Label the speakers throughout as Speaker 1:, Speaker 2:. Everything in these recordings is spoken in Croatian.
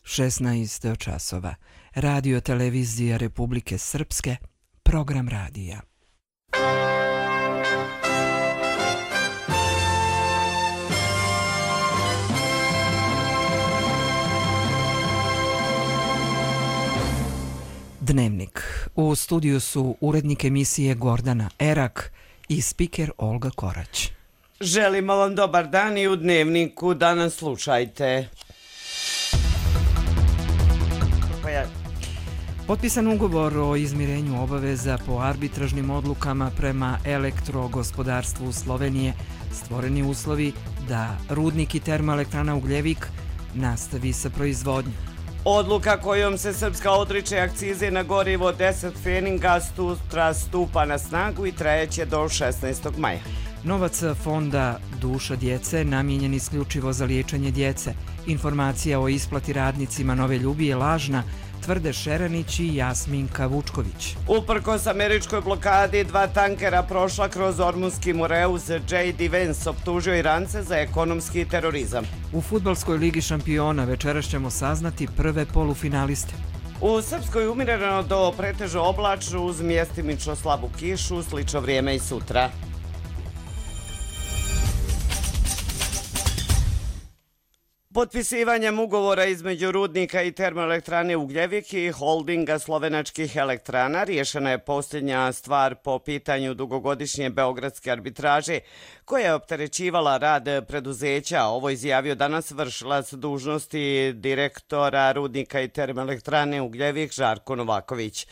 Speaker 1: 16 časova. Radio televizija Republike Srpske, program radija. Dnevnik. U studiju su urednik emisije Gordana Erak i spiker Olga Korać.
Speaker 2: Želimo vam dobar dan i u Dnevniku danas slušajte.
Speaker 1: Potpisan ugovor o izmirenju obaveza po arbitražnim odlukama prema elektrogospodarstvu Slovenije, stvoreni uslovi da rudnik i termoelektrana Ugljevik nastavi sa proizvodnjom.
Speaker 2: Odluka kojom se Srpska odriče akcize na gorivo 10 feninga stupa na snagu i trajeće do 16. maja.
Speaker 1: Novac fonda Duša djece namijenjen isključivo za liječenje djece. Informacija o isplati radnicima Nove Ljubi je lažna, tvrde Šeranić i Jasminka Vučković.
Speaker 2: Uprkos američkoj blokadi, 2 tankera prošla kroz Ormunski Mureus. J.D. Vance optužio Irance za ekonomski terorizam.
Speaker 1: U fudbalskoj ligi šampiona večeras ćemo saznati prve polufinaliste.
Speaker 2: U Srpskoj umireno do pretežno oblačno uz mjestimično slabu kišu, slično vrijeme i sutra. Potpisivanjem ugovora između rudnika i termoelektrane Ugljevik i holdinga slovenačkih elektrana riješena je posljednja stvar po pitanju dugogodišnje beogradske arbitraže koja je opterećivala rad preduzeća. Ovo izjavio danas vršilac dužnosti direktora rudnika i termoelektrane Ugljevik Žarko Novaković.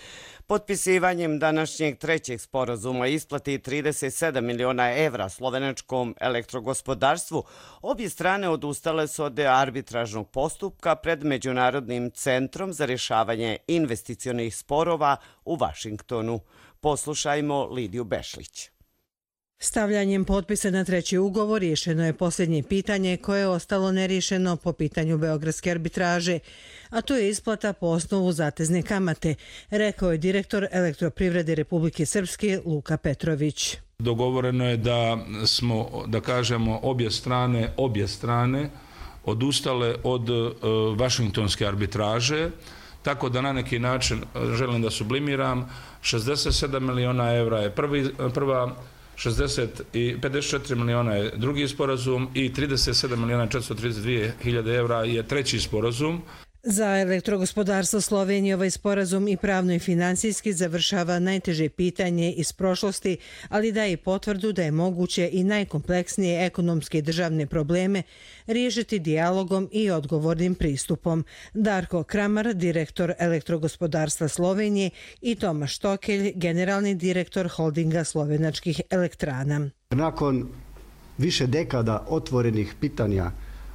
Speaker 2: Potpisivanjem današnjeg trećeg sporazuma isplati 37 miliona evra slovenačkom elektrogospodarstvu, obje strane odustale su od arbitražnog postupka pred Međunarodnim centrom za rješavanje investicionih sporova u Vašingtonu. Poslušajmo Lidiju Bešlić.
Speaker 3: Stavljanjem potpisa na treći ugovor riješeno je posljednje pitanje koje je ostalo neriješeno po pitanju beogradske arbitraže, a to je isplata po osnovu zatezne kamate, rekao je direktor Elektroprivrede Republike Srpske Luka Petrović.
Speaker 4: Dogovoreno je da smo, da kažemo, obje strane odustale od vašingtonske arbitraže, tako da na neki način, želim da sublimiram, 67 miliona evra je prva 54 miliona je drugi sporazum i 37 miliona 432 hiljade evra je treći sporazum.
Speaker 3: Za elektrogospodarstvo Slovenije ovaj sporazum i pravno i finansijski završava najteže pitanje iz prošlosti, ali daje i potvrdu da je moguće i najkompleksnije ekonomske i državne probleme riješiti dijalogom i odgovornim pristupom. Darko Kramar, direktor elektrogospodarstva Slovenije, i Tomaš Tokelj, generalni direktor holdinga slovenačkih elektrana.
Speaker 5: Nakon više dekada otvorenih pitanja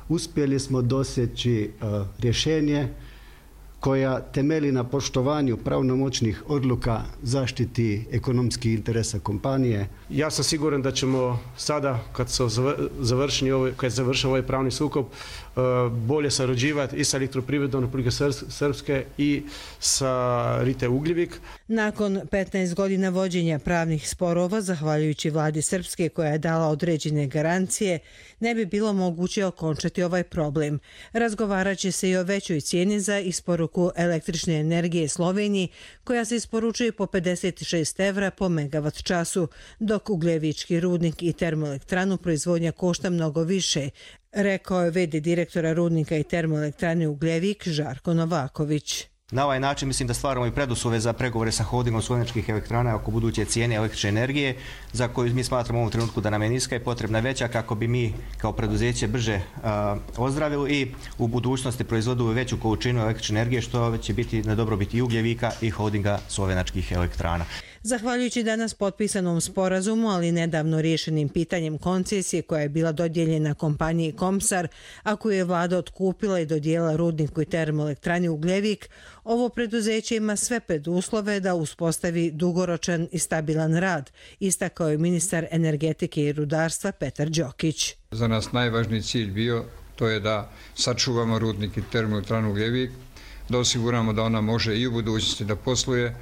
Speaker 5: uspjeli smo doseći rješenje koja temelji na poštovanju pravnomoćnih odluka zaštiti ekonomskih interesa kompanije.
Speaker 6: Ja sam siguran da ćemo sada, kad je završen ovaj pravni sukob, bolje sarađivati i sa Elektroprivredom Republike Srpske i sa RITE Ugljevik.
Speaker 3: Nakon 15 godina vođenja pravnih sporova, zahvaljujući vladi Srpske koja je dala određene garancije, ne bi bilo moguće okončati ovaj problem. Razgovarat će se i o većoj cijeni za isporuku električne energije Sloveniji, koja se isporučuje po 56 evra po megavat času, dok ugljevički rudnik i termoelektranu proizvodnja košta mnogo više, rekao je v.d. direktora rudnika i termoelektrane Ugljevik Žarko Novaković.
Speaker 7: Na ovaj način mislim da stvaramo i preduslove za pregovore sa holdingom slovenačkih elektrana oko buduće cijene električne energije, za koju mi smatramo u ovom trenutku da nam je niska i potrebna veća kako bi mi kao preduzeće brže ozdravili i u budućnosti proizvodili veću količinu električne energije, što će biti na dobrobit i Ugljevika i holdinga slovenačkih elektrana.
Speaker 3: Zahvaljujući danas potpisanom sporazumu, ali nedavno riješenim pitanjem koncesije koja je bila dodijeljena kompaniji Komsar, a koju je vlada otkupila i dodijela rudniku i termoelektrani Ugljevik, ovo preduzeće ima sve preduslove da uspostavi dugoročan i stabilan rad, istakao je ministar energetike i rudarstva Petar Đokić.
Speaker 8: Za nas najvažniji cilj bio to je da sačuvamo rudnik i termoelektranu Ugljevik, da osiguramo da ona može i u budućnosti da posluje,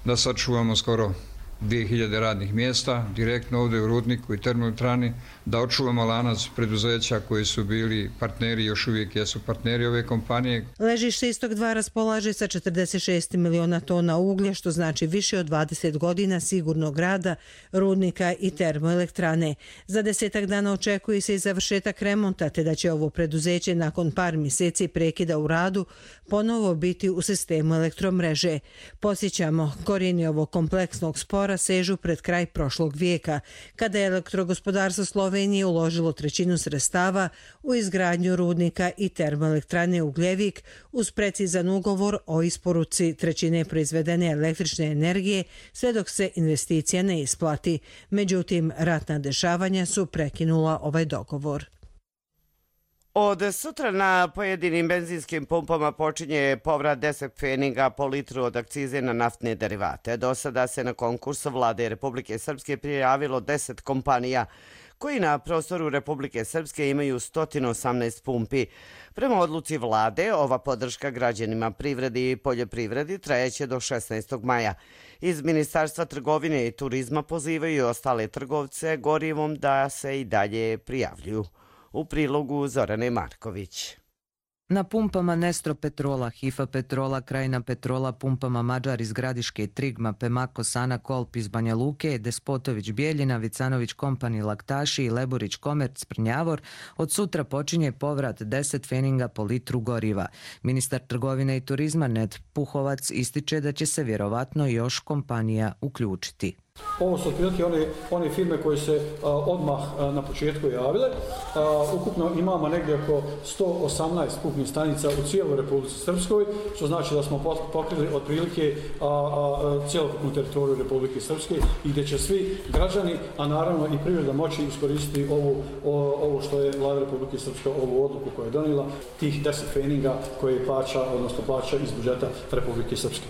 Speaker 8: da sačuvamo skoro 2000 radnih mjesta direktno ovdje u rudniku i termoelektrani, da očuvamo lanac preduzeća koji su bili partneri, još uvijek jesu partneri ove kompanije.
Speaker 3: Ležište Istok 2 raspolaže sa 46 miliona tona uglja, što znači više od 20 godina sigurnog rada rudnika i termoelektrane. Za 10 dana očekuje se i završetak remonta, te da će ovo preduzeće nakon par mjeseci prekida u radu ponovo biti u sistemu elektromreže. Podsjećamo, korijeni ovog kompleksnog spora sežu pred kraj prošlog vijeka, kada je elektrogospodarstvo Slovenije uložilo trećinu sredstava u izgradnju rudnika i termoelektrane Ugljevik uz precizan ugovor o isporuci trećine proizvedene električne energije sve dok se investicija ne isplati. Međutim, ratna dešavanja su prekinula ovaj dogovor.
Speaker 2: Od sutra na pojedinim benzinskim pumpama počinje povrat 10 pfeninga po litru od akcize na naftne derivate. Do sada se na konkursu Vlade Republike Srpske prijavilo 10 kompanija koji na prostoru Republike Srpske imaju 118 pumpi. Prema odluci Vlade, ova podrška građanima, privredi i poljoprivredi trajeće do 16. maja. Iz Ministarstva trgovine i turizma pozivaju ostale trgovce gorivom da se i dalje prijavljuju. U prilogu Zorane Marković.
Speaker 9: Na pumpama Nestro Petrola, Hifa Petrola, Krajina Petrola, pumpama Mađar iz Gradiške, Trigma, Pemako, Sana, Kolp iz Banja Luke, Despotović Bijeljina, Vicanović Kompani Laktaši i Leburić Komerc Prnjavor, od sutra počinje povrat 10 pfeninga po litru goriva. Ministar trgovine i turizma Ned Puhovac ističe da će se vjerovatno još kompanija uključiti.
Speaker 10: Ovo su otprilike one firme koje se odmah na početku javile. Ukupno imamo negdje oko 118 pumpnih stanica u cijeloj Republici Srpskoj, što znači da smo pokrili otprilike cjelokupnu teritoriju Republike Srpske i gdje će svi građani, a naravno i privreda moći iskoristiti ovo što je Vlada Republike Srpske, ovu odluku koja je donijela, tih 10 pfeninga koje plaća iz budžeta Republike Srpske.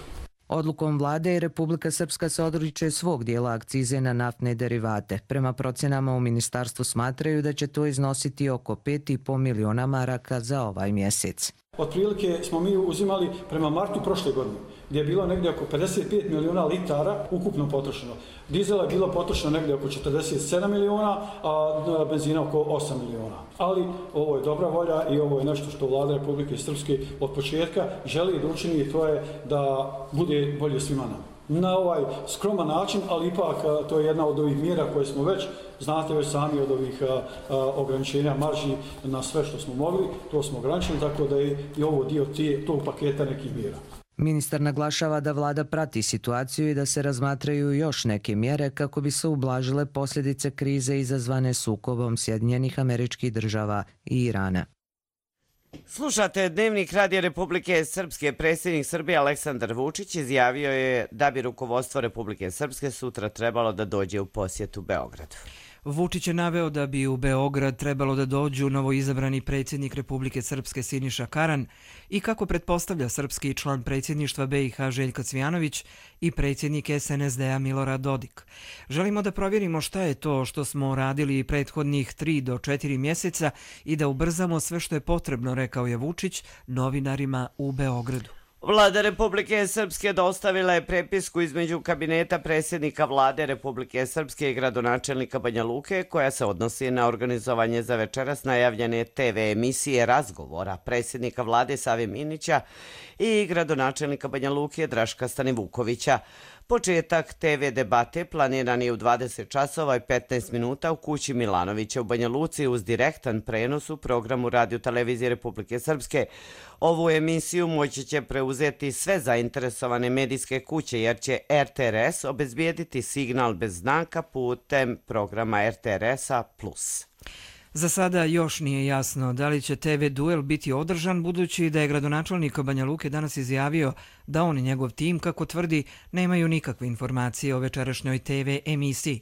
Speaker 9: Odlukom vlade Republika Srpska se odriče svog dijela akcize na naftne derivate. Prema procjenama u ministarstvu smatraju da će to iznositi oko 5,5 miliona maraka za ovaj mjesec.
Speaker 10: Otprilike smo mi uzimali prema martu prošle godine, gdje je bilo negdje oko 55 miliona litara ukupno potrošeno. Dizela je bilo potrošeno negdje oko 47 miliona, a benzina oko 8 miliona. Ali ovo je dobra volja i ovo je nešto što Vlada Republike Srpske od početka želi da učini, i to je da bude bolje svima nama. Na ovaj skroman način, ali ipak to je jedna od ovih mjera koje smo znate već sami od ovih ograničenja marži na sve što smo mogli, to smo ograničili, tako da je i ovo dio tog paketa nekih mjera.
Speaker 9: Ministar naglašava da vlada prati situaciju i da se razmatraju još neke mjere kako bi se ublažile posljedice krize izazvane sukobom Sjedinjenih Američkih Država i Irana.
Speaker 2: Slušate Dnevnik Radija Republike Srpske. Predsjednik Srbije Aleksandar Vučić izjavio je da bi rukovodstvo Republike Srpske sutra trebalo da dođe u posjetu Beogradu.
Speaker 1: Vučić je naveo da bi u Beograd trebalo da dođu novoizabrani predsjednik Republike Srpske Siniša Karan i, kako pretpostavlja srpski član predsjedništva BiH Željko Cvijanović, i predsjednik SNSD-a Milorad Dodik. Želimo da provjerimo šta je to što smo radili prethodnih 3 do 4 mjeseca i da ubrzamo sve što je potrebno, rekao je Vučić novinarima u Beogradu.
Speaker 2: Vlada Republike Srpske dostavila je prepisku između kabineta predsjednika Vlade Republike Srpske i gradonačelnika Banja Luke, koja se odnosi na organizovanje za večeras najavljene TV emisije razgovora predsjednika Vlade Save Minića i gradonačelnika Banja Luke Draška Stanivukovića. Početak TV debate planiran je u 20 časova i 15 minuta u kući Milanovića u Banja Luci uz direktan prenos u programu Radio-televizije Republike Srpske. Ovu emisiju moći će preuzeti sve zainteresovane medijske kuće, jer će RTRS obezbijediti signal bez znaka putem programa RTRS-a Plus.
Speaker 1: Za sada još nije jasno da li će TV duel biti održan, budući da je gradonačelnik Banja Luke danas izjavio da on i njegov tim, kako tvrdi, nemaju nikakve informacije o večerašnjoj TV emisiji.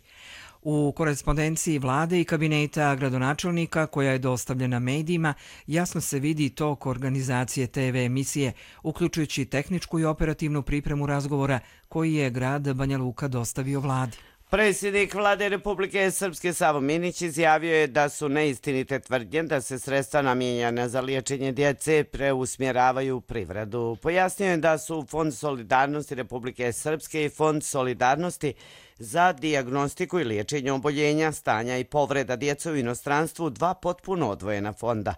Speaker 1: U korespondenciji vlade i kabineta gradonačelnika, koja je dostavljena medijima, jasno se vidi tok organizacije TV emisije, uključujući tehničku i operativnu pripremu razgovora koji je grad Banja Luka dostavio vladi.
Speaker 2: Predsjednik Vlade Republike Srpske Savo Minić izjavio je da su neistinite tvrdnje da se sredstva namijenjena za liječenje djece preusmjeravaju u privredu. Pojasnio je da su Fond solidarnosti Republike Srpske i Fond solidarnosti za dijagnostiku i liječenje oboljenja, stanja i povreda djece u inostranstvu, 2 potpuno odvojena fonda.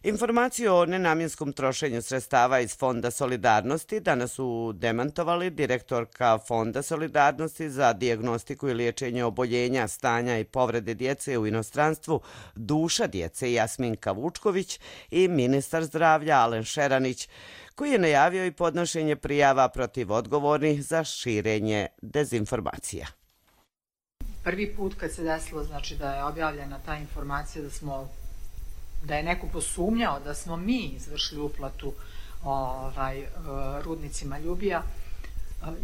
Speaker 2: Informaciju o nenamjenskom trošenju sredstava iz Fonda solidarnosti danas su demantovali direktorka Fonda solidarnosti za dijagnostiku i liječenje oboljenja, stanja i povrede djece u inostranstvu Duša djece Jasminka Vučković i ministar zdravlja Alen Šeranić, koji je najavio i podnošenje prijava protiv odgovornih za širenje dezinformacija.
Speaker 11: Prvi put kad se desilo, znači da je objavljena ta informacija da je neko posumnjao da smo mi izvršili uplatu rudnicima Ljubija,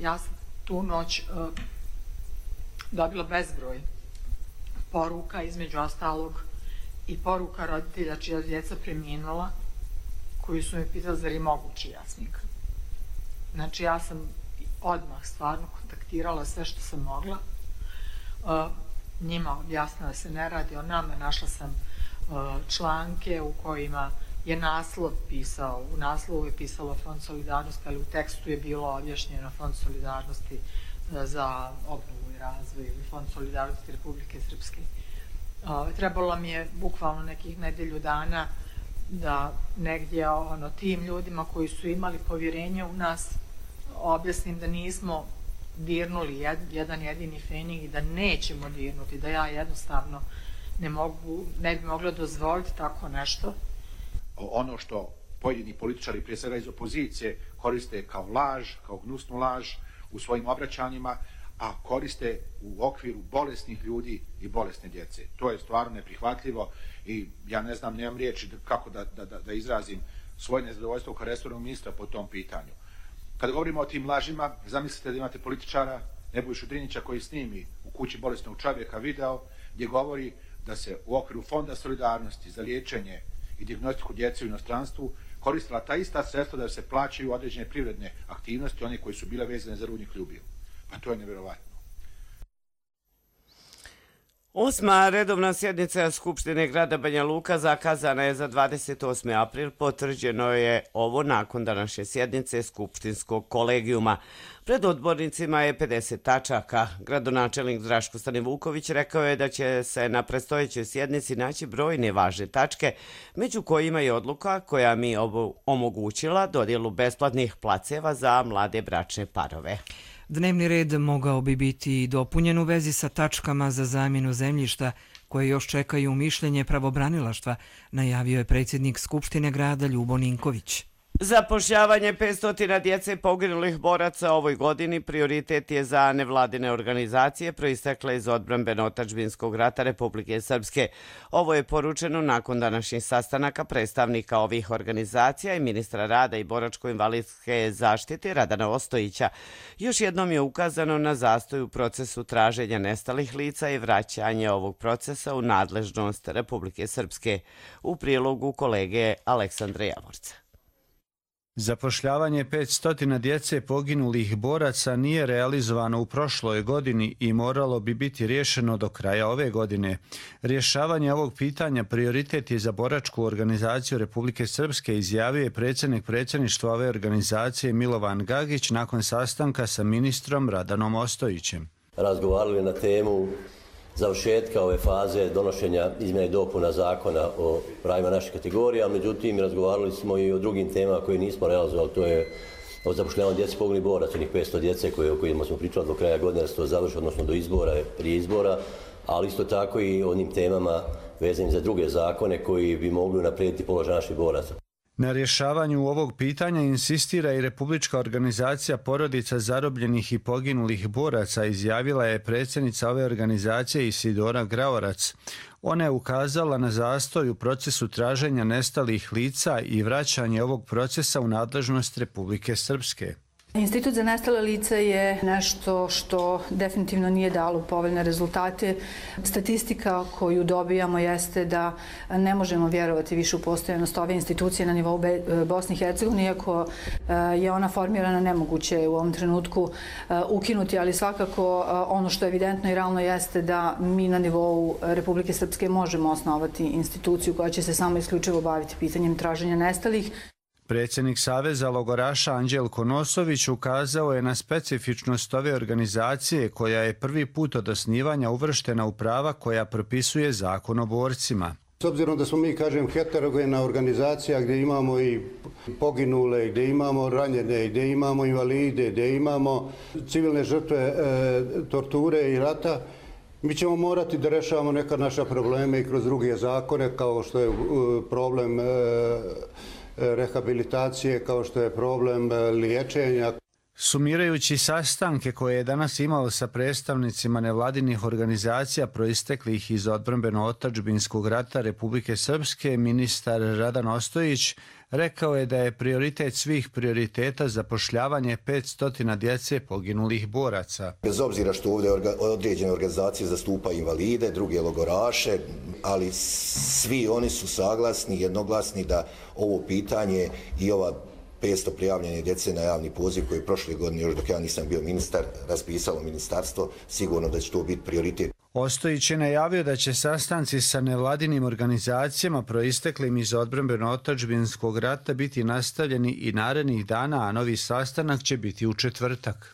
Speaker 11: ja sam tu noć dobila bezbroj poruka, između ostalog i poruka roditelja čija djeca preminula, koji su mi pitali zar je moguće Jasminka. Znači ja sam odmah stvarno kontaktirala sve što sam mogla, njima objasnila da se ne radi o nama, našla sam članke u kojima je naslov pisao, u naslovu je pisalo Fond solidarnosti, ali u tekstu je bilo objašnjeno Fond solidarnosti za obnovu i razvoj ili Fond solidarnosti Republike Srpske. Trebalo mi je bukvalno nekih nedelju dana da negdje tim ljudima koji su imali povjerenje u nas objasnim da nismo dirnuli jedan jedini fenig i da nećemo dirnuti, da ja jednostavno ne bi mogla dozvoliti tako nešto.
Speaker 12: Ono što pojedini političari, prije svega iz opozicije, koriste kao laž, kao gnusnu laž u svojim obraćanjima, a koriste u okviru bolesnih ljudi i bolesne djece. To je stvarno neprihvatljivo i ja ne znam, nemam riječi kako da izrazim svoje nezadovoljstvo kao resornog ministra po tom pitanju. Kada govorimo o tim lažima, zamislite da imate političara Nebojšu Drinića koji snimi u kući bolesnog čovjeka video gdje govori da se u okviru Fonda solidarnosti za liječenje i dijagnostiku djece u inostranstvu koristila ta ista sredstva da se plaćaju određene privredne aktivnosti, one koje su bile vezane za rudnik Ljubio. Pa to je nevjerovatno.
Speaker 2: 8. redovna sjednica Skupštine grada Banja Luka zakazana je za 28. april. Potvrđeno je ovo nakon današnje sjednice Skupštinskog kolegijuma. Pred odbornicima je 50 tačaka. Gradonačelnik Draško Stanivuković rekao je da će se na predstojećoj sjednici naći brojne važne tačke, među kojima je odluka koja mi omogućila dodjelu besplatnih placeva za mlade bračne parove.
Speaker 1: Dnevni red mogao bi biti dopunjen u vezi sa tačkama za zamjenu zemljišta koje još čekaju mišljenje pravobranilaštva, najavio je predsjednik Skupštine grada Ljubo Ninković.
Speaker 2: Zapošljavanje 500 djece poginulih boraca ovoj godini prioritet je za nevladine organizacije proistekle iz odbrambeno-otadžbinskog rata Republike Srpske. Ovo je poručeno nakon današnjih sastanaka predstavnika ovih organizacija i ministra rada i boračko-invalidske zaštite Radana Ostojića. Još jednom je ukazano na zastoj u procesu traženja nestalih lica i vraćanje ovog procesa u nadležnost Republike Srpske. U prilogu kolege Aleksandra Javorca.
Speaker 13: Zapošljavanje 500 djece poginulih boraca nije realizovano u prošloj godini i moralo bi biti riješeno do kraja ove godine. Rješavanje ovog pitanja prioritet je za boračku organizaciju Republike Srpske, izjavio je predsjednik predsjedništva ove organizacije Milovan Gagić nakon sastanka sa ministrom Radanom Ostojićem.
Speaker 14: Razgovarali na temu završetka ove faze donošenja izmjena i dopuna zakona o pravima naših kategorija, međutim razgovarali smo i o drugim temama koje nismo realizovali, to je o zapošljavanju djece poginulih boraca, onih 500 djece o kojima smo pričali do kraja godine da se to završi, odnosno do izbora, prije izbora, ali isto tako i onim temama vezanim za druge zakone koji bi mogli unaprijediti položaj naših boraca.
Speaker 13: Na rješavanju ovog pitanja insistira i Republička organizacija porodica zarobljenih i poginulih boraca, izjavila je predsjednica ove organizacije Isidora Graorac. Ona je ukazala na zastoj u procesu traženja nestalih lica i vraćanje ovog procesa u nadležnost Republike Srpske.
Speaker 15: Institut za nestale lica je nešto što definitivno nije dalo povoljne rezultate. Statistika koju dobijamo jeste da ne možemo vjerovati više u postojanost ove institucije na nivou Bosne i Hercegovine, iako je ona formirana, nemoguće u ovom trenutku ukinuti, ali svakako ono što je evidentno i realno jeste da mi na nivou Republike Srpske možemo osnovati instituciju koja će se samo isključivo baviti pitanjem traženja nestalih.
Speaker 13: Predsjednik Saveza logoraša Anđelko Nosović ukazao je na specifičnost ove organizacije koja je prvi put od osnivanja uvrštena u prava koja propisuje Zakon o borcima.
Speaker 16: S obzirom da smo mi, kažem, heterogena organizacija gdje imamo i poginule, gdje imamo ranjene, gdje imamo invalide, gdje imamo civilne žrtve torture i rata, mi ćemo morati da rešavamo neka naša probleme i kroz druge zakone, kao što je problem rehabilitacije, kao što je problem liječenja.
Speaker 13: Sumirajući sastanke koje je danas imao sa predstavnicima nevladinih organizacija proisteklih iz odbrambeno-otadžbinskog rata Republike Srpske, ministar Radan Ostojić rekao je da je prioritet svih prioriteta zapošljavanje 500 djece poginulih boraca.
Speaker 17: Bez obzira što ovdje određene organizacije zastupaju invalide, druge logoraše, ali svi oni su saglasni, jednoglasni da ovo pitanje i ova 500 prijavljene djece na javni poziv koji je prošle godine, još dok ja nisam bio ministar, raspisalo ministarstvo, sigurno da će to biti prioritet.
Speaker 13: Ostojić je najavio da će sastanci sa nevladinim organizacijama proisteklim iz odbrambeno-otadžbinskog rata biti nastavljeni i narednih dana, a novi sastanak će biti u četvrtak.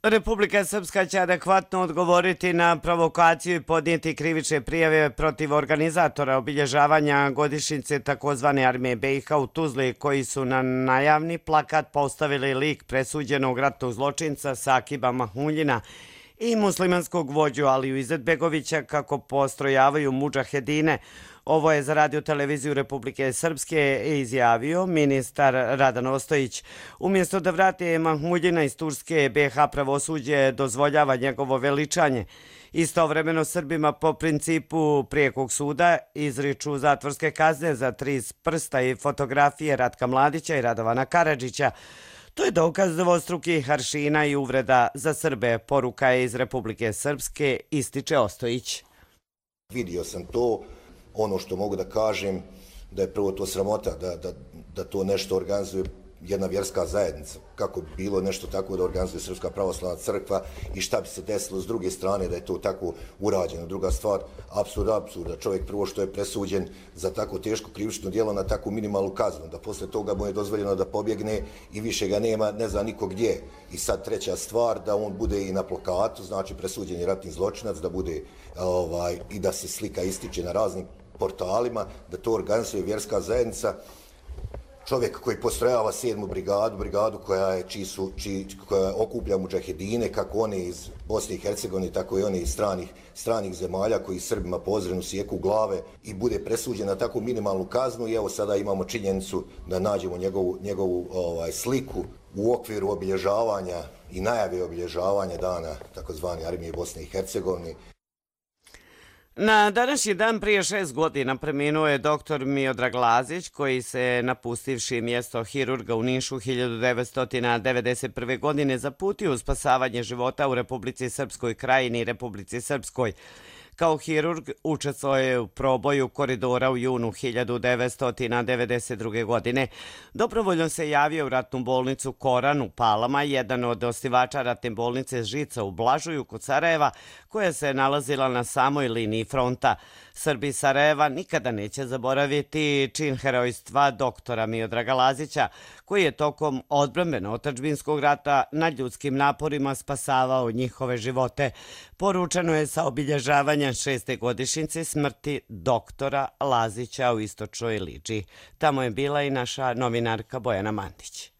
Speaker 2: Republika Srpska će adekvatno odgovoriti na provokaciju i podnijeti krivične prijave protiv organizatora obilježavanja godišnjice takozvane armije BiH u Tuzli, koji su na najavni plakat postavili lik presuđenog ratnog zločinca Sakiba Mahmuljina i muslimanskog vođu Aliju Izetbegovića kako postrojavaju mudžahedine. Ovo je za Radio televiziju Republike Srpske izjavio ministar Radan Ostojić. Umjesto da vrate Mahmuljina iz Turske, BiH pravosuđe dozvoljava njegovo veličanje. Istovremeno Srbima po principu prijekog suda izriču zatvorske kazne za 3 prsta i fotografije Ratka Mladića i Radovana Karadžića. To je dokaz dvostrukih aršina i uvreda za Srbe, poruka je iz Republike Srpske, ističe Ostojić.
Speaker 17: Vidio sam to, ono što mogu da kažem, da je prvo to sramota, da to nešto organizuje jedna vjerska zajednica. Kako bi bilo nešto tako da organizuje Srpska pravoslavna crkva i šta bi se desilo s druge strane da je to tako urađeno. Druga stvar, apsurda. Čovjek prvo što je presuđen za tako teško krivično djelo na takvu minimalnu kaznu, da posle toga mu je dozvoljeno da pobjegne i više ga nema, ne zna niko gdje. I sad treća stvar, da on bude i na plakatu, znači presuđeni ratni zločinac, da bude i da se slika ističe na raznim portalima, da to organizuje vjerska zajednica. Čovjek koji postrojava 7. brigadu koja okuplja mudžahedine, kako one iz Bosne i Hercegovine, tako i one iz stranih zemalja koji Srbima pozrenu sjeku glave i bude presuđen na takvu minimalnu kaznu. I evo sada imamo činjenicu da nađemo njegovu sliku u okviru obilježavanja i najave obilježavanja dana takozvane armije Bosne i Hercegovine.
Speaker 2: Na današnji dan prije 6 godina preminuo je dr. Miodrag Lazić, koji se napustivši mjesto hirurga u Nišu 1991. godine zaputio u spasavanje života u Republici Srpskoj Krajini i Republici Srpskoj. Kao hirurg učestvovao je u proboju koridora u junu 1992. godine. Dobrovoljno se javio u ratnu bolnicu Koran u Palama, jedan od osnivača ratne bolnice Žica u Blažuju kod Sarajeva, koja se nalazila na samoj liniji fronta. Srbi Sarajeva nikada neće zaboraviti čin herojstva doktora Miodraga Lazića, koji je tokom odbrambeno-otadžbinskog rata na ljudskim naporima spasavao njihove živote. Poručeno je sa obilježavanja 6. godišnjice smrti doktora Lazića u Istočnoj Liđi. Tamo je bila i naša novinarka Bojana Mandić.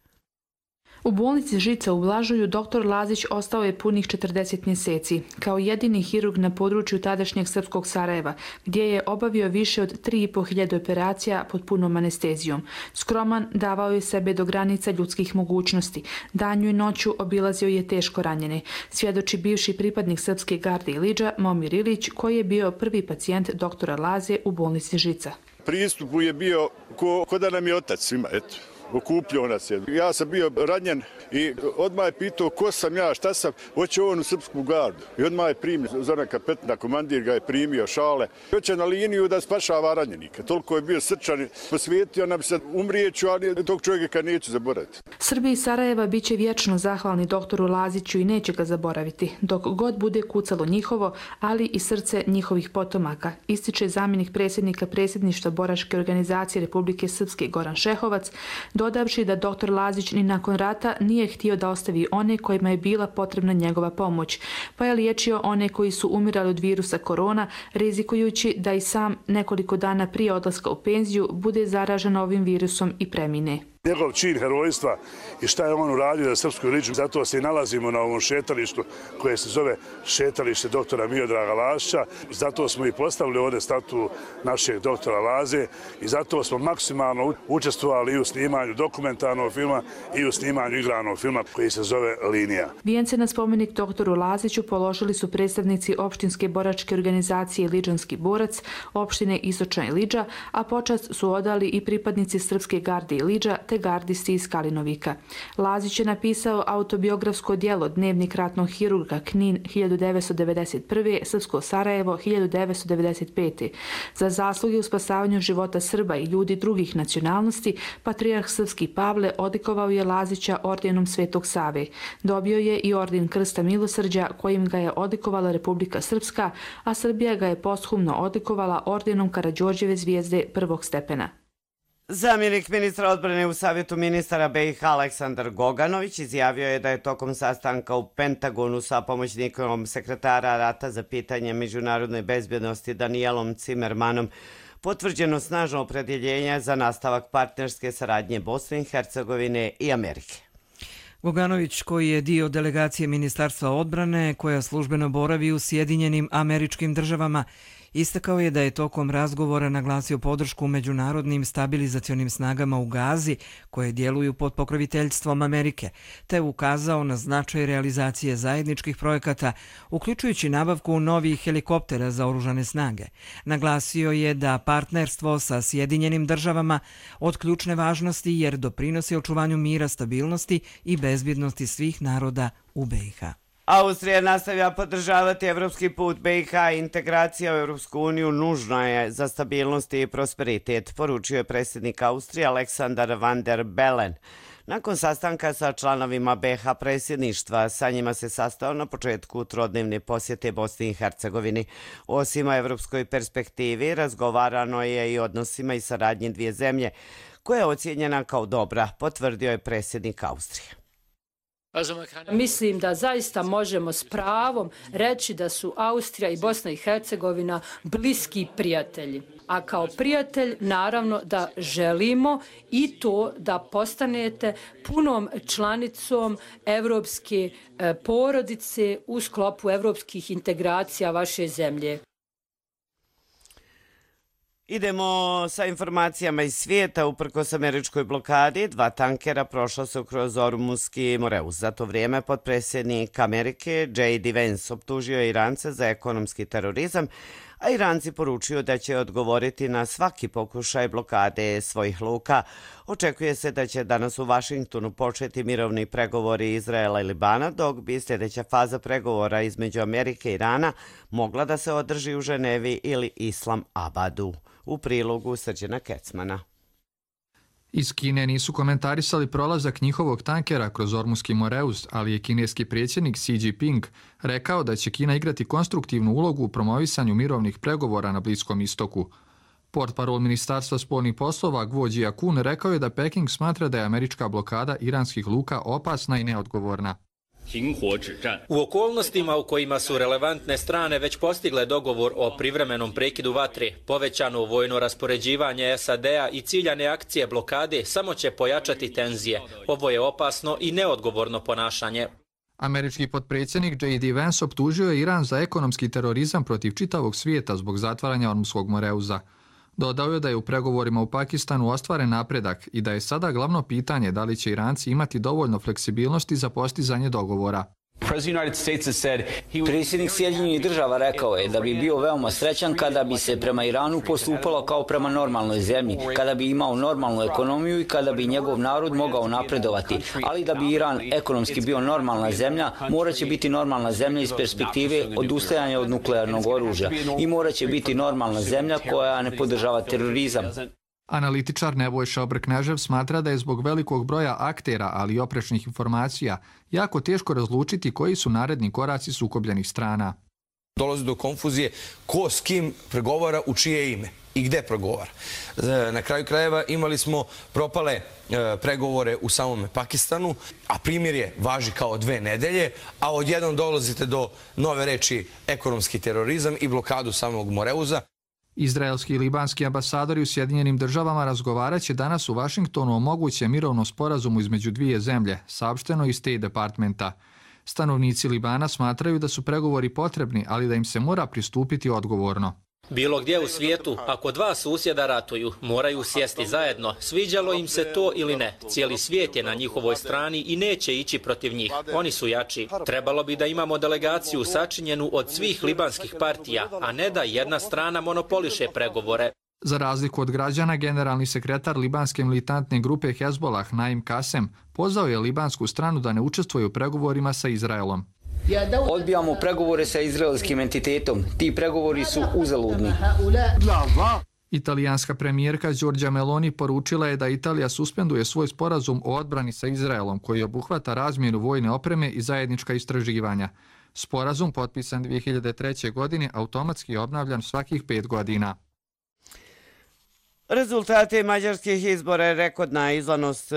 Speaker 18: U bolnici Žica u Blažuju dr. Lazić ostao je punih 40 mjeseci, kao jedini hirurg na području tadašnjeg srpskog Sarajeva, gdje je obavio više od 3.500 operacija pod punom anestezijom. Skroman, davao je sebe do granica ljudskih mogućnosti. Danju i noću obilazio je teško ranjene. Svjedoči bivši pripadnik Srpske garde Iliđa, Momir Ilić, koji je bio prvi pacijent dr. Laze u bolnici Žica.
Speaker 19: Pristup je bio ko da nam je otac svima, eto. okupljao nas je. Ja sam bio ranjen i odmah je pitao ko sam ja, šta sam, hoće on u srpsku gardu. I odmah je primio, Zoran Kapetina, komandir ga je primio, šale. Hoće na liniju da spašava ranjenika. Toliko je bio srčan, posvijetio nam se, umrijeću, ali tog čovjeka neću zaboraviti.
Speaker 18: Srbi iz Sarajeva bit će vječno zahvalni doktoru Laziću i neće ga zaboraviti, dok god bude kucalo njihovo, ali i srce njihovih potomaka, ističe zamjenik predsjednika predsjedništva Boračke organizacije Republike Srpske Goran Šehovac, dodavši da doktor Lazić ni nakon rata nije htio da ostavi one kojima je bila potrebna njegova pomoć, pa je liječio one koji su umirali od virusa korona, rizikujući da i sam nekoliko dana prije odlaska u penziju bude zaražen ovim virusom i premine.
Speaker 20: Njegov čin herojstva i šta je on uradio za srpsku ličnost, zato se i nalazimo na ovom šetalištu koje se zove šetalište doktora Miodraga Lazića. Zato smo i postavili ovdje statu našeg doktora Laze i zato smo maksimalno učestvovali i u snimanju dokumentarnog filma i u snimanju igranog filma koji se zove Linija.
Speaker 18: Vijence na spomenik doktoru Laziću položili su predstavnici opštinske boračke organizacije Liđanski borac, opštine Istočna Iliđa, a počast su odali i pripadnici Srpske garde Iliđa te gardisti iz Kalinovika. Lazić je napisao autobiografsko djelo Dnevnik ratnog hirurga Knin 1991. Srpsko Sarajevo 1995. Za zasluge u spasavanju života Srba i ljudi drugih nacionalnosti, patrijarh Srpski Pavle odlikovao je Lazića ordenom Svetog Save. Dobio je i orden Krsta milosrđa kojim ga je odlikovala Republika Srpska, a Srbija ga je posthumno odlikovala ordenom Karađorđeve zvijezde prvog stepena.
Speaker 2: Zamjenik ministra odbrane u Savjetu ministara BiH Aleksandar Goganović izjavio je da je tokom sastanka u Pentagonu sa pomoćnikom sekretara rata za pitanje međunarodne bezbjednosti Danielom Cimermanom potvrđeno snažno opredjeljenje za nastavak partnerske saradnje Bosne i Hercegovine i Amerike.
Speaker 1: Goganović, koji je dio delegacije Ministarstva odbrane koja službeno boravi u Sjedinjenim Američkim Državama, istakao je da je tokom razgovora naglasio podršku međunarodnim stabilizacionim snagama u Gazi koje djeluju pod pokroviteljstvom Amerike, te ukazao na značaj realizacije zajedničkih projekata, uključujući nabavku novih helikoptera za oružane snage. Naglasio je da partnerstvo sa Sjedinjenim Državama od ključne važnosti jer doprinosi očuvanju mira, stabilnosti i bezbjednosti svih naroda u BiH.
Speaker 2: Austrija nastavlja podržavati evropski put BiH i integracija u Europsku uniju nužna je za stabilnost i prosperitet, poručio je predsjednik Austrije Aleksandar Van der Bellen. Nakon sastanka sa članovima BiH predsjedništva, sa njima se sastao na početku trodnevne posjete Bosni i Hercegovini. Osim o evropskoj perspektivi, razgovarano je i odnosima i saradnji dvije zemlje, koja je ocijenjena kao dobra, potvrdio je predsjednik Austrije.
Speaker 21: Mislim da zaista možemo s pravom reći da su Austrija i Bosna i Hercegovina bliski prijatelji. A kao prijatelj naravno da želimo i to da postanete punom članicom evropske porodice u sklopu evropskih integracija vaše zemlje.
Speaker 2: Idemo sa informacijama iz svijeta. Uprkos američkoj blokadi, 2 tankera prošla su kroz Ormuski Moreus. Za to vrijeme potpredsjednik Amerike J.D. Vance optužio Irance za ekonomski terorizam, a Iranci poručuju da će odgovoriti na svaki pokušaj blokade svojih luka. Očekuje se da će danas u Vašingtonu početi mirovni pregovori Izraela i Libana, dok bi sljedeća faza pregovora između Amerike i Irana mogla da se održi u Ženevi ili Islam Abadu. U prilogu Srđana Kecmana.
Speaker 22: Iz Kine nisu komentarisali prolazak njihovog tankera kroz Ormuski Moreus, ali je kineski predsjednik Xi Jinping rekao da će Kina igrati konstruktivnu ulogu u promovisanju mirovnih pregovora na Bliskom istoku. Portparol Ministarstva spoljnih poslova Guo Jiakun rekao je da Peking smatra da je američka blokada iranskih luka opasna i neodgovorna.
Speaker 23: U okolnostima u kojima su relevantne strane već postigle dogovor o privremenom prekidu vatre, povećano vojno raspoređivanje SAD-a i ciljane akcije blokade samo će pojačati tenzije. Ovo je opasno i neodgovorno ponašanje.
Speaker 22: Američki potpredsjednik J.D. Vance optužio je Iran za ekonomski terorizam protiv čitavog svijeta zbog zatvaranja Ormuskog Moreuza. Dodao je da je u pregovorima u Pakistanu ostvaren napredak i da je sada glavno pitanje da li će Iranci imati dovoljno fleksibilnosti za postizanje dogovora.
Speaker 4: Predsjednik Sjedinjenih država rekao je da bi bio veoma srećan kada bi se prema Iranu postupalo kao prema normalnoj zemlji, kada bi imao normalnu ekonomiju i kada bi njegov narod mogao napredovati. Ali da bi Iran ekonomski bio normalna zemlja, moraće biti normalna zemlja iz perspektive odustajanja od nuklearnog oružja i moraće biti normalna zemlja koja ne podržava terorizam.
Speaker 22: Analitičar Nebojša Obrknežev smatra da je zbog velikog broja aktera, ali i oprečnih informacija, jako teško razlučiti koji su naredni koraci sukobljenih strana.
Speaker 5: Dolazi do konfuzije ko s kim pregovara u čije ime i gde pregovara. Na kraju krajeva imali smo propale pregovore u samom Pakistanu, a primirje važi kao 2 nedelje, a odjednom dolazite do nove reči ekonomski terorizam i blokadu samog Moreuza.
Speaker 22: Izraelski i libanski ambasadori u Sjedinjenim državama razgovarat će danas u Vašingtonu o mogućem mirovnom sporazumu između dvije zemlje, saopšteno iz State Departmenta. Stanovnici Libana smatraju da su pregovori potrebni, ali da im se mora pristupiti odgovorno.
Speaker 23: Bilo gdje u svijetu, ako dva susjeda ratuju, moraju sjesti zajedno, sviđalo im se to ili ne. Cijeli svijet je na njihovoj strani i neće ići protiv njih. Oni su jači. Trebalo bi da imamo delegaciju sačinjenu od svih libanskih partija, a ne da jedna strana monopoliše pregovore.
Speaker 22: Za razliku od građana, generalni sekretar libanske militantne grupe Hezbollah, Naim Kasem, pozvao je libansku stranu da ne učestvuje u pregovorima sa Izraelom.
Speaker 4: Odbijamo pregovore sa izraelskim entitetom. Ti pregovori su uzaludni.
Speaker 22: Italijanska premijerka Giorgia Meloni poručila je da Italija suspenduje svoj sporazum o odbrani sa Izraelom, koji obuhvata razmjenu vojne opreme i zajednička istraživanja. Sporazum, potpisan 2003. godine, automatski je obnavljan svakih 5 godina.
Speaker 2: Rezultati mađarskih izbora i rekordna izlanost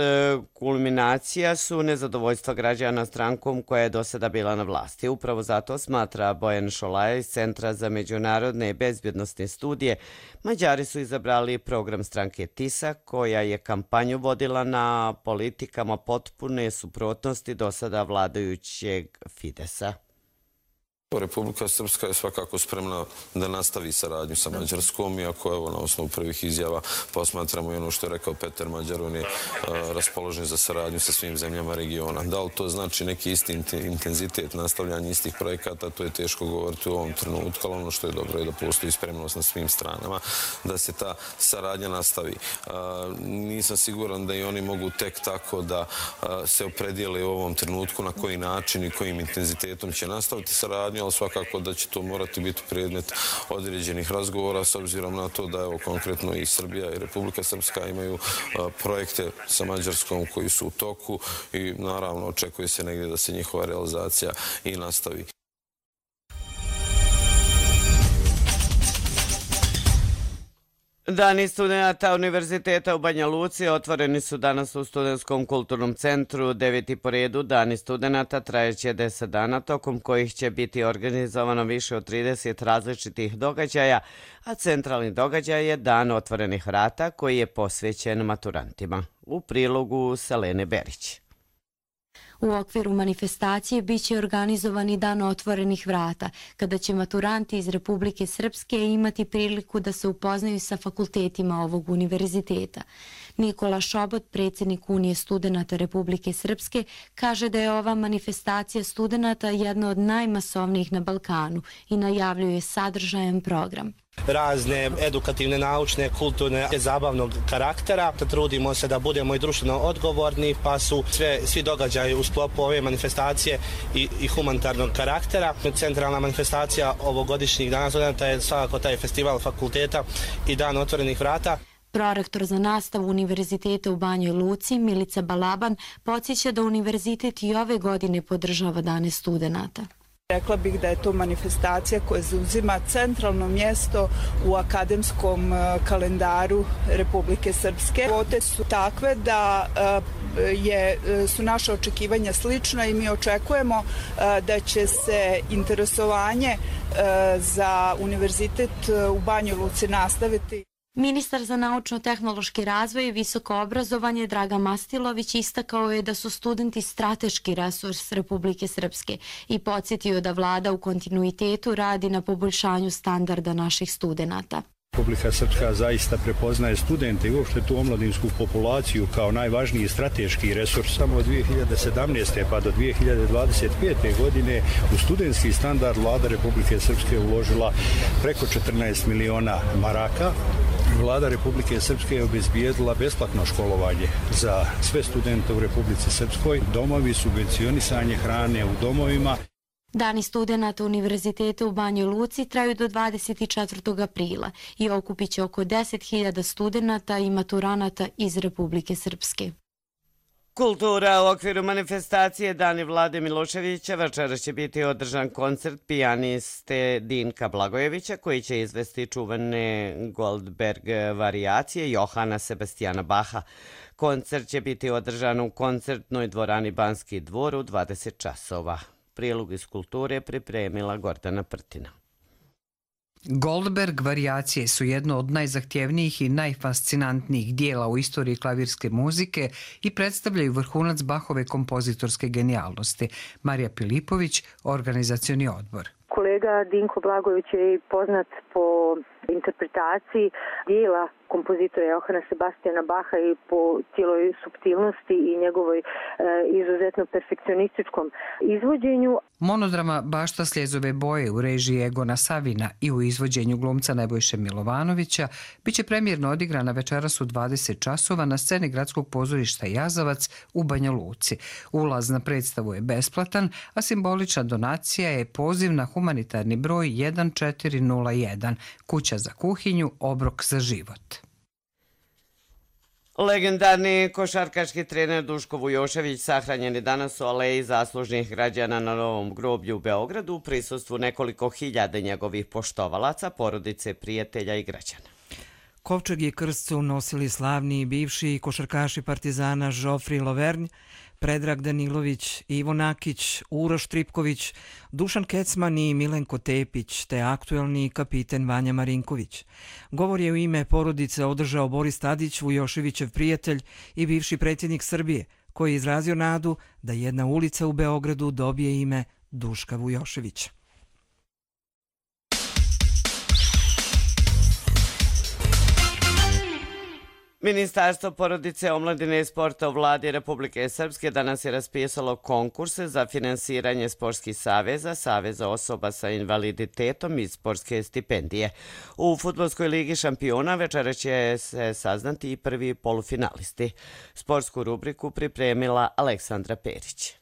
Speaker 2: kulminacija su nezadovoljstva građana strankom koja je do sada bila na vlasti. Upravo zato, smatra Bojan Šolaja iz Centra za međunarodne i bezbjednostne studije, Mađari su izabrali program stranke TISA, koja je kampanju vodila na politikama potpune suprotnosti do sada vladajućeg Fidesa.
Speaker 6: Republika Srpska je svakako spremna da nastavi saradnju sa Mađarskom, iako evo na osnovu prvih izjava posmatramo i ono što je rekao Peter Mađar, on je raspoložen za saradnju sa svim zemljama regiona. Da li to znači neki isti intenzitet nastavljanja istih projekata, to je teško govoriti u ovom trenutku, ali ono što je dobro je da postoji spremnost na svim stranama, da se ta saradnja nastavi. Nisam siguran da i oni mogu tek tako da se opredijele u ovom trenutku na koji način i kojim intenzitetom će nastaviti saradnju, ali svakako da će to morati biti predmet određenih razgovora s obzirom na to da evo konkretno i Srbija i Republika Srpska imaju projekte sa Mađarskom koji su u toku i naravno očekuje se negdje da se njihova realizacija i nastavi.
Speaker 2: Dani studenta Univerziteta u Banja Luci otvoreni su danas u Studentskom kulturnom centru 9. po redu. Dani studenta trajeće 10 dana, tokom kojih će biti organizovano više od 30 različitih događaja, a centralni događaj je Dan otvorenih vrata koji je posvećen maturantima. U prilogu Selene Berić.
Speaker 24: U okviru manifestacije biće organizovani Dan otvorenih vrata, kada će maturanti iz Republike Srpske imati priliku da se upoznaju sa fakultetima ovog univerziteta. Nikola Šobot, predsjednik Unije studenata Republike Srpske, kaže da je ova manifestacija studenata jedna od najmasovnijih na Balkanu i najavljuje sadržajan program.
Speaker 25: Razne edukativne, naučne, kulturne, zabavnog karaktera. Trudimo se da budemo i društveno odgovorni, pa su svi događaji u sklopu ove manifestacije i humanitarnog karaktera. Centralna manifestacija ovogodišnjih Dana studenta je svakako taj festival fakulteta i Dan otvorenih vrata.
Speaker 24: Prorektor za nastavu Univerziteta u Banjoj Luci, Milica Balaban, podsjeća da univerzitet i ove godine podržava Dane studenata.
Speaker 26: Rekla bih da je to manifestacija koja zauzima centralno mjesto u akademskom kalendaru Republike Srpske. Kvote su takve da su naše očekivanja slična i mi očekujemo da će se interesovanje za univerzitet u Banjoj Luci nastaviti.
Speaker 24: Ministar za naučno-tehnološki razvoj i visoko obrazovanje Dragan Mastilović istakao je da su studenti strateški resurs Republike Srpske i podsjetio da vlada u kontinuitetu radi na poboljšanju standarda naših studenata.
Speaker 3: Republika Srpska zaista prepoznaje studente i uopšte tu omladinsku populaciju kao najvažniji strateški resurs. Samo od 2017. pa do 2025. godine u studentski standard Vlada Republike Srpske uložila preko 14 miliona maraka. Vlada Republike Srpske je obezbijedila besplatno školovanje za sve studente u Republici Srpskoj, domovi, subvencionisanje hrane u domovima.
Speaker 24: Dani studenata Univerziteta u Banjoj Luci traju do 24. aprila i okupit će oko 10.000 studenata i maturanata iz Republike Srpske.
Speaker 2: Kultura u okviru manifestacije Dani Vlade Miloševića večeras će biti održan koncert pijaniste Dinka Blagojevića koji će izvesti čuvene Goldberg varijacije Johana Sebastijana Baha. Koncert će biti održan u koncertnoj dvorani Banski dvor u 20 časova. Prilog iz kulture pripremila Gordana Prtina.
Speaker 7: Goldberg varijacije su jedno od najzahtjevnijih i najfascinantnijih dijela u istoriji klavirske muzike i predstavljaju vrhunac Bachove kompozitorske genijalnosti. Marija Pilipović, organizacioni odbor.
Speaker 8: Kolega Dinko Blagojević je poznat po interpretaciji dijela kompozitora Johana Sebastijana Baha i po cijeloj suptilnosti i njegovoj izuzetno perfekcionističkom izvođenju.
Speaker 7: Monodrama Bašta sljezove boje u režiji Egona Savina i u izvođenju glumca Nebojše Milovanovića biće premijerno odigrana večeras u 20 časova na sceni Gradskog pozorišta Jazavac u Banja Luci. Ulaz na predstavu je besplatan, a simbolična donacija je poziv na humanitarni broj 1401, kuća za kuhinju, obrok za život.
Speaker 2: Legendarni košarkaški trener Duško Vujošević sahranjen je danas u aleji zaslužnih građana na Novom groblju u Beogradu u prisustvu nekoliko hiljada njegovih poštovalaca, porodice, prijatelja i građana.
Speaker 1: Kovčeg i krst su nosili slavni bivši košarkaši Partizana Žofri Lovernj, Predrag Danilović, Ivo Nakić, Uroš Tripković, Dušan Kecman i Milenko Tepić, te aktuelni kapiten Vanja Marinković. Govor je u ime porodice održao Boris Tadić, Vujoševićev prijatelj i bivši predsjednik Srbije, koji je izrazio nadu da jedna ulica u Beogradu dobije ime Duška Vujoševića.
Speaker 2: Ministarstvo porodice, omladine i sporta u Vladi Republike Srpske danas je raspisalo konkurse za finansiranje sportskih saveza, saveza osoba sa invaliditetom i sportske stipendije. U Fudbalskoj ligi šampiona večera će se saznati i prvi polufinalisti. Sportsku rubriku pripremila Aleksandra Perić.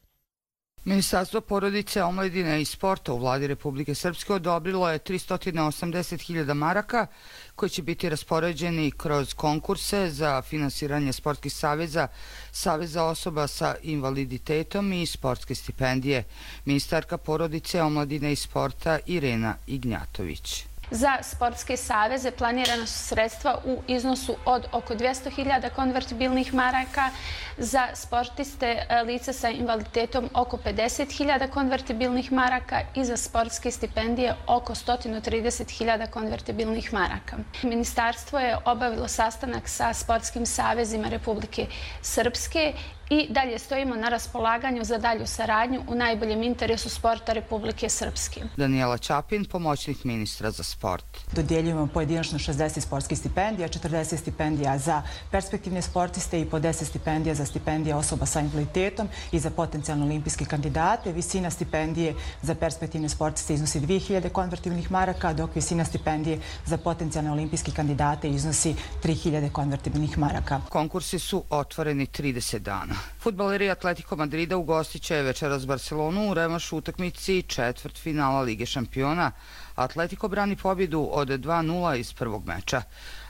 Speaker 9: Ministarstvo porodice, omladine i sporta u Vladi Republike Srpske odobrilo je 380.000 maraka koji će biti raspoređeni kroz konkurse za finansiranje sportskih saveza, saveza osoba sa invaliditetom i sportske stipendije. Ministarka porodice, omladine i sporta Irena Ignjatović.
Speaker 10: Za sportske saveze planirana su sredstva u iznosu od oko 200.000 konvertibilnih maraka, za sportiste lica sa invaliditetom oko 50.000 konvertibilnih maraka i za sportske stipendije oko 130.000 konvertibilnih maraka. Ministarstvo je obavilo sastanak sa sportskim savezima Republike Srpske i dalje stojimo na raspolaganju za dalju saradnju u najboljem interesu sporta Republike Srpske.
Speaker 9: Danijela Čapin, pomoćnik ministra za sport.
Speaker 11: Dodjeljujemo pojedinačno 60 sportskih stipendija, 40 stipendija za perspektivne sportiste i po 10 stipendija za stipendije osoba sa invaliditetom i za potencijalno olimpijske kandidate. Visina stipendije za perspektivne sportiste iznosi 2.000 konvertibilnih maraka, dok visina stipendije za potencijalne olimpijske kandidate iznosi 3.000 konvertibilnih maraka.
Speaker 9: Konkursi su otvoreni 30 dana. Fudbaleri Atletico Madrida ugostit će večeras Barcelonu u revanšu utakmici četvrtfinala Lige šampiona. Atletico brani pobjedu od 2-0 iz prvog meča,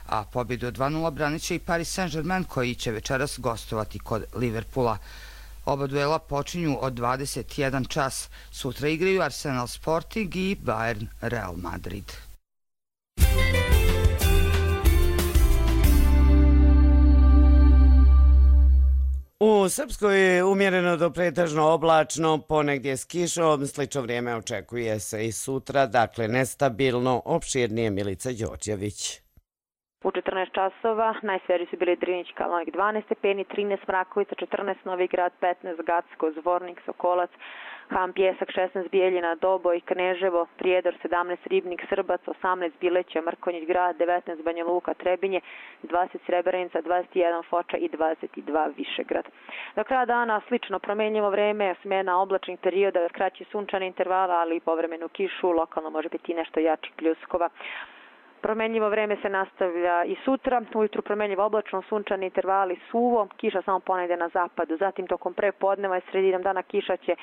Speaker 9: a pobjedu od 2-0 branit će i Paris Saint-Germain koji će večeras gostovati kod Liverpoola. Oba duela počinju od 21 čas. Sutra igraju Arsenal Sporting i Bayern Real Madrid.
Speaker 2: U Srpskoj je umjereno do pretežno oblačno, ponegdje s kišom, slično vrijeme očekuje se i sutra, dakle nestabilno, opširnije Milica Đorđević.
Speaker 27: U 14 časova najsvježi su bili Drinić, Kalnovik 12 stepeni, 13 Mrakovica, 14 Novi Grad, 15 Gacko, Zvornik, Sokolac, Han Pjesak 16, Bijeljina, Doboj, Kneževo, Prijedor 17, Ribnik, Srbac 18, Bileće, Mrkonjić Grad 19, Banja Luka, Trebinje 20, Srebrenica 21, Foča i 22 Višegrad. Do kraja dana slično promenljivo vreme, smena oblačnih perioda, kraći sunčane intervala, ali i povremenu kišu, lokalno može biti nešto jačih pljuskova. Promenljivo vreme se nastavlja i sutra, ujutru promenljivo oblačno, sunčani intervali, suvo, kiša samo ponegde na zapadu, zatim tokom prepodneva i sredinom dana kiša će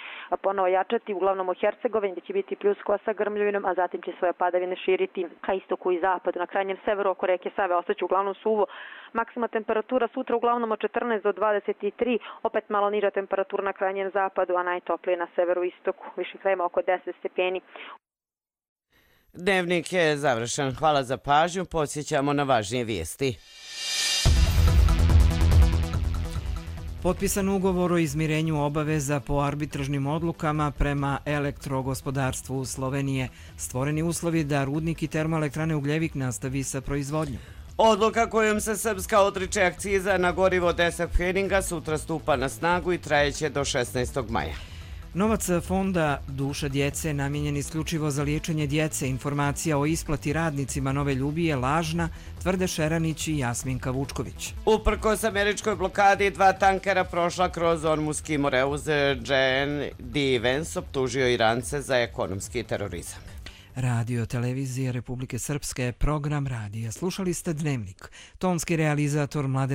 Speaker 27: ponovo jačati, uglavnom u Hercegovini gdje će biti pljuskova sa grmljovinom, a zatim će svoje padavine širiti ka istoku i zapadu. Na krajnjem severu oko reke Save ostaće uglavnom suvo, maksima temperatura sutra uglavnom od 14 do 23, opet malo niža temperatura na krajnjem zapadu, a najtoplije na severu i istoku, viših krajeva oko 10 stepeni.
Speaker 2: Dnevnik je završen. Hvala za pažnju. Podsjećamo na važnije vijesti.
Speaker 1: Potpisan ugovor o izmirenju obaveza po arbitražnim odlukama prema elektrogospodarstvu Slovenije. Stvoreni uslovi da rudnik i termoelektrane Ugljevik nastavi sa proizvodnjom.
Speaker 2: Odluka kojom se Srpska odriče akciza na gorivo 10 pfeninga sutra stupa na snagu i trajeće do 16. maja.
Speaker 1: Novac fonda Duša djece namijenjen isključivo za liječenje djece. Informacija o isplati radnicima Nove Ljubije je lažna, tvrde Šeranić i Jasminka Vučković.
Speaker 2: Uprkos američkoj blokadi, 2 tankera prošla kroz Ormuski Moreuz. J.N.D. Vance optužio Irance za ekonomski terorizam.
Speaker 1: Radio televizije Republike Srpske, program radija. Slušali ste Dnevnik. Tonski realizator Mladen